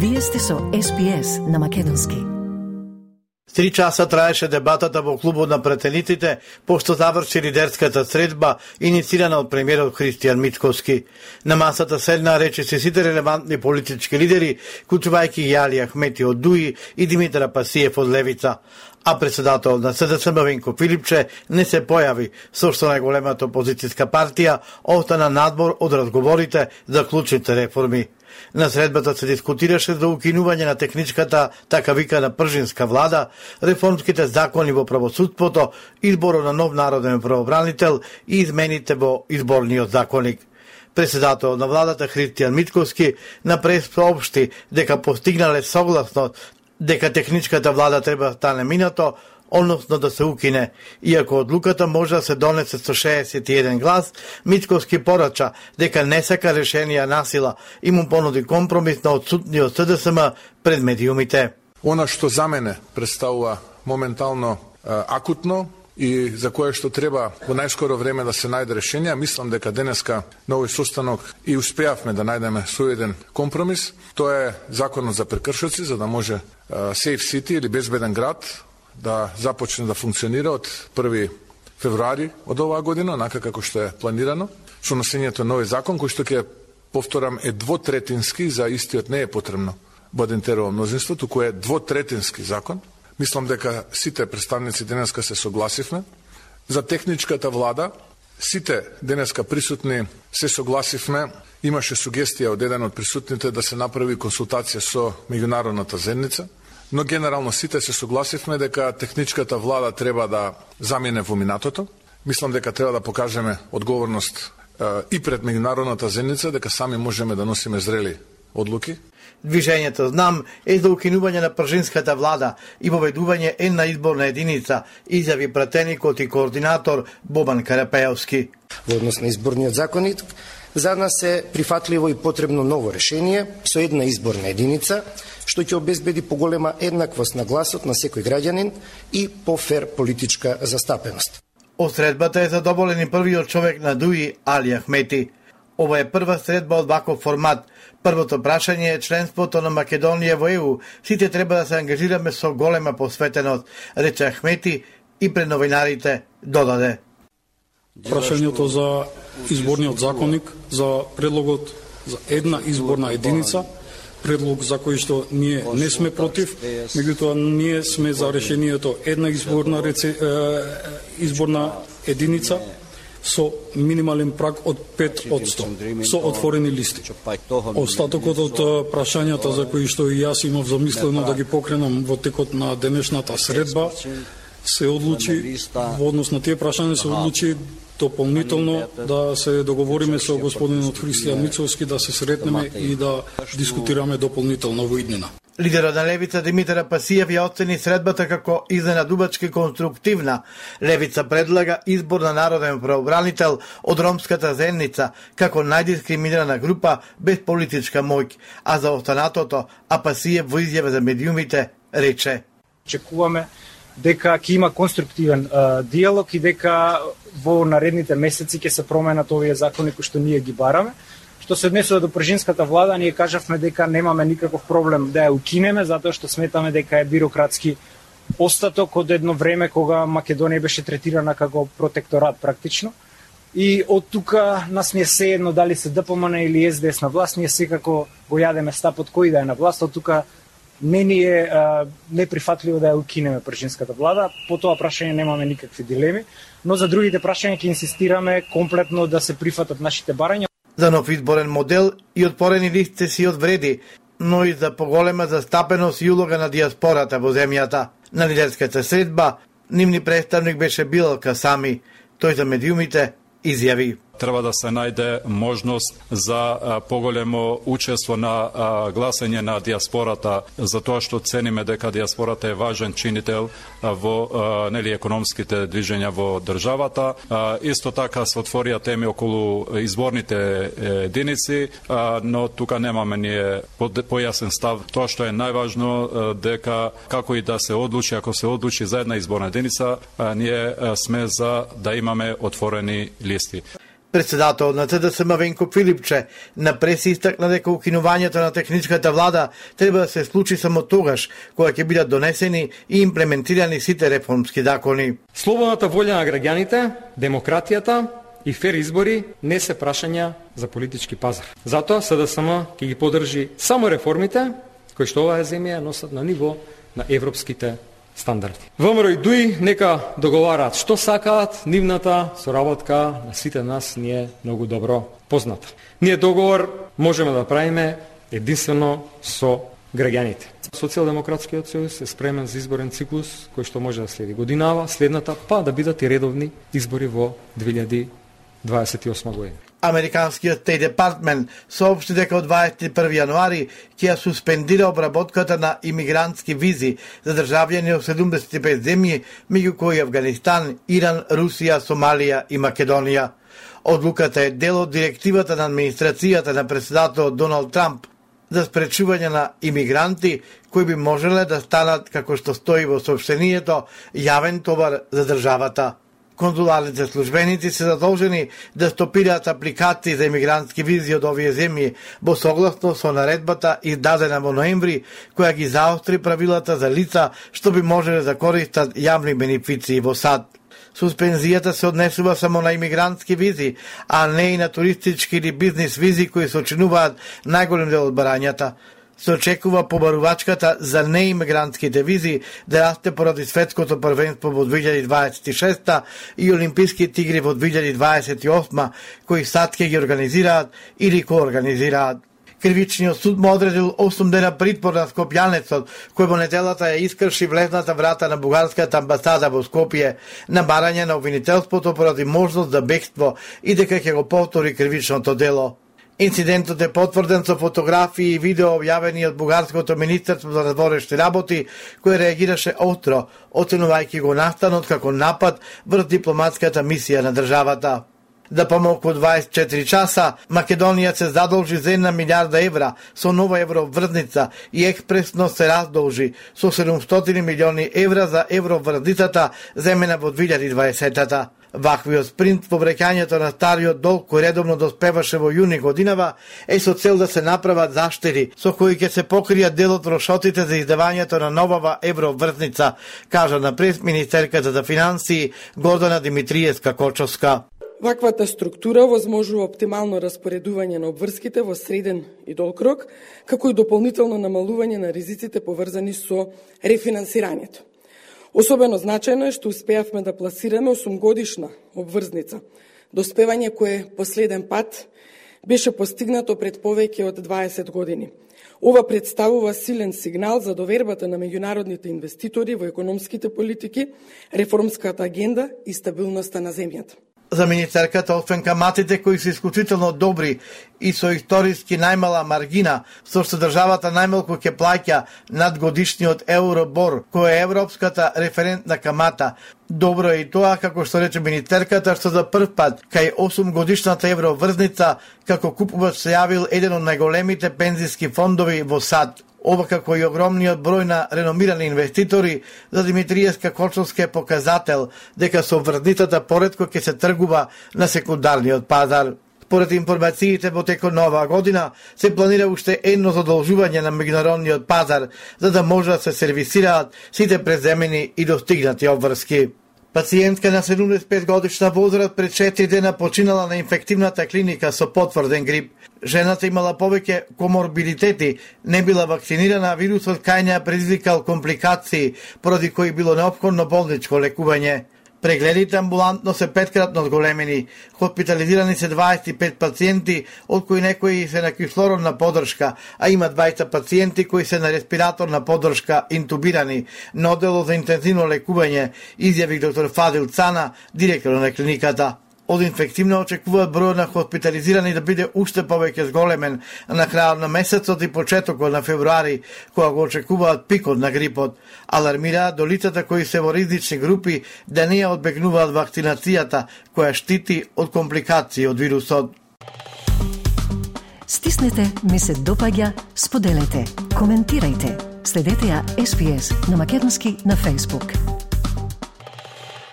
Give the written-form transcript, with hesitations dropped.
Вие сте со SPS на македонски. 3 часа траеше дебатата во клубот на претениците, пошто заврши лидерската средба, инициирана од премиерот Христијан Мицковски. На масата седна речиси сите релевантни политички лидери, вклучувајќи Али Ахмети од ДУИ и Димитар Апасиев од Левица. А председател на СДСМ Венко Филипче не се појави, со што најголемата опозицијска партија остана надвор од разговорите за клучните реформи. На средбата се дискутираше за укинување на техничката, така викана пржинска влада, реформските закони во правосудството, изборот на нов народен правобранител и измените во изборниот законник. Председател на владата Христијан Мицковски на прес соопшти дека постигнале согласност дека техничката влада треба да стане минато, односно да се укине. Иако одлуката може да се донесе со 61 глас, Мицковски порача дека не сака решенија насила и му понуди компромис на отсутниот СДСМ пред медиумите. Она што за мене представува моментално акутно и за кое што треба во најскоро време да се најде решение, мислам дека денеска на овој состанок и успеавме да најдеме соеден компромис. Тоа е законот за прекршоци, за да може Safe City или безбеден град да започне да функционира од 1 февруари од оваа година, онака како што е планирано, со носењето на овој закон, кој што ќе повторам е двотретински, за истиот не е потребно Бодентерово мнозинство, туку е двотретински закон. Мислам дека сите представници денеска се согласивме. За техничката влада, сите денеска присутни се согласивме. Имаше сугестија од еден од присутните да се направи консултација со меѓународната заедница, но генерално сите се согласивме дека техничката влада треба да замине во минатото. Мислам дека треба да покажеме одговорност и пред меѓународната заедница, дека сами можеме да носиме зрели одлуки. Движењето Знам е за укинување на пржинската влада и воведување една изборна единица, изјави пратеникот и координатор Бобан Карапејовски. Во однос на изборниот законник, за нас е прифатливо и потребно ново решение со една изборна единица, што ќе обезбеди поголема еднаквост на гласот на секој граѓанин и пофер политичка застапеност. Од средбата е задоволен и првиот човек на ДУИ Али Ахмети. Ова е прва средба од ваков формат. Првото прашање е членството на Македонија во ЕУ. Сите треба да се ангажираме со голема посветеност, рече Ахмети и пред новинарите додаде. Прашањето за изборниот законник, за предлогот за една изборна единица, предлог за кој што ние не сме против, меѓутоа ние сме за решението една изборна единица со минимален праг од 5% со отворени листи. Остатокот од прашањата за кои што и јас имав замислено да ги покренам во текот на денешната средба се одлучи во однос на тие прашања се одлучи дополнително да се договориме со господинот Христијан Мицковски да се сретнеме и да дискутираме дополнително во иднина. Лидерот на Левица Димитар Апасиев ја оцени средбата како изненадувачки конструктивна. Левица предлага избор на народен правобранител од ромската заедница како најдискриминирана група без политичка моќ, а за останатото Апасиев во изјава за медиумите рече: Очекуваме дека ќе има конструктивен диалог и дека во наредните месеци ќе се променат овие закони кои што ние ги бараме. Што се однесува до пржинската влада, ние кажавме дека немаме никаков проблем да ја укинеме, затоа што сметаме дека е бирократски остаток од едно време кога Македонија беше третирана како протекторат практично. И од тука нас не е сеедно дали се ДПМН или СДС на власт, ние секако го јадеме стапот кој да е на власт, од тука не ни е неприфатливо да ја укинеме пржинската влада. По тоа прашање немаме никакви дилеми, но за другите прашања ќе инсистираме комплетно да се прифатат нашите барања. За нов изборен модел и отворени листи си одвреди, но и за поголема застапеност и улога на диаспората во земјата. На лидерската средба, нивни представник беше Билал Касами. Тој за медиумите изјави: треба да се најде можност за поголемо учество на гласање на диаспората, затоа што цениме дека диаспората е важен чинител во економските движења во државата. Исто така се отворија теми околу изборните единици, но тука немаме ние појасен став. Тоа што е најважно дека како и да се одлучи, ако се одлучи за една изборна единица, ние сме за да имаме отворени листи. Председател на ЦДСМ Венко Филипче на преси истакна дека укинувањето на техничката влада треба да се случи само тогаш кога ќе бидат донесени и имплементирани сите реформски закони. Слободната волја на граѓаните, демократијата и фер избори не се прашања за политички пазар. Затоа СДСМ ќе ги поддржи само реформите кои што оваа земја носат на ниво на европските стандарди. ВМРО и ДУИ нека договараат што сакаат, нивната соработка на сите нас ни е многу добро позната. Ние договор можеме да правиме единствено со граѓаните. Социјалдемократскиот сојуз е спремен за изборен циклус кој што може да следи годинава, следната па да бидат и редовни избори во 2028 година. Американскиот Стейт Департмент соопшти дека од 21 јануари ќе ја суспендира обработката на имигрантски визи за државјани од 75 земји, меѓу кои Авганистан, Иран, Русија, Сомалија и Македонија. Одлуката е дел од директивата на администрацијата на председателот Доналд Трамп за спречување на имигранти кои би можеле да станат, како што стои во соопштението, јавен товар за државата. Конзуларните службеници се задолжени да стопираат апликации за имигрантски визи од овие земји во согласно со наредбата издадена во ноември, која ги заостри правилата за лица што би можеле да користат јавни бенефиции во САД. Суспензијата се однесува само на имигрантски визи, а не и на туристички или бизнис визи кои сочинуваат најголем дел од барањата. Се очекува побарувачката за неимигрантските визи да расте поради светското првенство во 2026 и Олимписките игри во 2028, кои САД ќе ги организираат или коорганизираат. Кривичниот суд му одредил 8 дена притвор на скопјанецот, кој во неделата ја искрши влезната врата на бугарската амбасада во Скопје на барање на обвинителството поради можност за бегство и дека ќе го повтори кривичното дело. Инцидентот е потврден со фотографии и видео објавени од Бугарското министерство за надворешни работи, кој реагираше остро, оценувајќи го настанот како напад врз дипломатската мисија на државата. За помалку од 24 часа, Македонија се задолжи за 1 милиарда евра со нова евроврзница и експресно се раздолжи со 700 милиони евра за евроврзницата земена во 2020-та. Ваквиот спринт во вреќањето на стариот долг кој редовно доспеваше во јуни годинава е со цел да се направат заштеди со кои ќе се покријат дел од трошотите за издавањето на новава евроврзница, кажа на пресминистерката за финансии Гордана Димитриевска-Кочовска. Ваквата структура возможува оптимално распоредување на обврските во среден и долг рок, како и дополнително намалување на ризиците поврзани со рефинансирањето. Особено значајно е што успеавме да пласираме 8-годишна обврзница, доспевање кое последен пат беше постигнато пред повеќе од 20 години. Ова представува силен сигнал за довербата на меѓународните инвеститори во економските политики, реформската агенда и стабилноста на земјата. За министерката, освен каматите кои се исклучително добри и со историски најмала маргина, со што државата најмалку ќе плаќа над годишниот Евробор, кој е европската референтна камата, добро е и тоа, како што рече министерката, што за прв пат кај 8 годишната евроврзница како купувач се јавил еден од најголемите пензиски фондови во САД. Ова како и огромниот број на реномирани инвеститори, за Димитриевска-Кочовска е показател дека со врзницата поретко ќе се тргува на секундарниот пазар. Според информациите во текот на оваа година се планира уште едно задолжување на меѓународниот пазар за да може да се сервисираат сите преземени и достигнати обврски. Пациентка на 75 годишна возраст пред 4 дена починала на инфективната клиника со потврден грип. Жената имала повеќе коморбидитети, не била вакцинирана, а вирусот кај неа предизвикал компликации, поради кои било неопходно болничко лекување. Прегледите амбулантно се 5-кратно зголемени. Хоспитализирани се 25 пациенти, од кои некои се на кислородна поддршка, а има 20 пациенти кои се на респираторна поддршка интубирани на одделот за интензивно лекување, изјави доктор Фадил Цана, директор на клиниката. Од инфективно очекуваат бројот на хоспитализирани да биде уште повеќе зголемен на крајот на месецот и почетокот на февруари, кога го очекуваат пикот на грипот. Алармираат до лицата кои се во ризични групи да не ја одбегнуваат вакцинацијата, која штити од компликации од вирусот. Стиснете, ми се допаѓа, споделете, коментирајте. Следете ја SPS на Македонски на Facebook.